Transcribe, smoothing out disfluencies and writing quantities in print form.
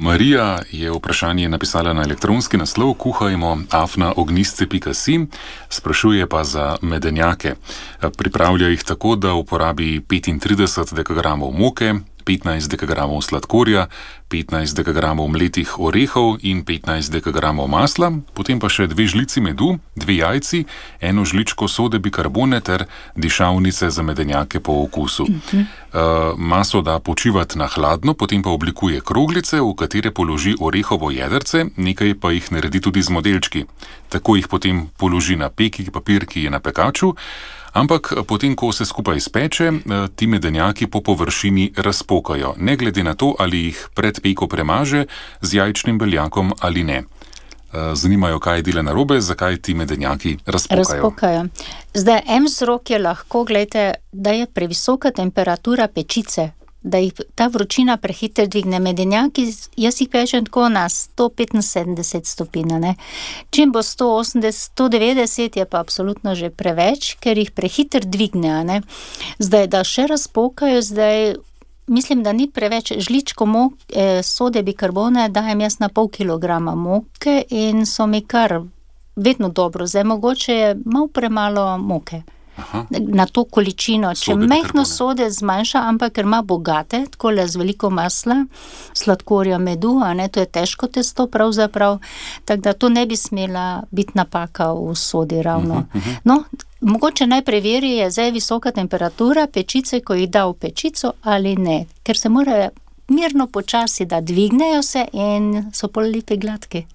Marija je vprašanje napisala na elektronski naslov kuhajmo@ognisce.si, sprašuje pa za medenjake. Pripravlja jih tako, da uporabi 35 dekagramov moke, 15 dekagramov sladkorja, 15 dekagramov mletih orehov in 15 dekagramov masla, potem pa še 2 žlici medu, 2 jajci, 1 žličko sode bikarbone ter dišavnice za medenjake po okusu. Maso da počivati na hladno, potem pa oblikuje kroglice, v katere položi orehovo jedrce, nekaj pa jih naredi tudi z modelčki. Tako jih potem položi na peki papir, ki je na pekaču, ampak potem, ko se skupaj speče, ti medenjaki po površini razpokajo, ne glede na to, ali jih pred peko premaže z jajčnim beljakom ali ne. Zanimajo, kaj dela narobe, zakaj ti medenjaki razpokajo. Zdaj, en vzrok je lahko, gledajte, da je previsoka temperatura pečice, da jih ta vročina prehitro dvigne. Medenjaki, jaz jih pečem tako na 175 stopinj, ne. Čim bo 180, 190 je pa absolutno že preveč, ker jih prehitro dvigne, ne. Zdaj, da še razpokajo, mislim, da ni preveč žličko sode bikarbone, dajem jaz na pol kilograma moke in so mi kar vedno dobro. Zdaj, mogoče je malo premalo moke. Na to količino, če mehko sode zmanjša, ampak ker ima bogate, takole z veliko masla, sladkorja, medu, to je težko testo pravzaprav, tako da to ne bi smela biti napaka v sodi ravno. No, mogoče naj preveri, je zdaj visoka temperatura pečice, ko jih da v pečico ali ne, ker se mora mirno počasi, da dvignejo se in so pol lepi gladki.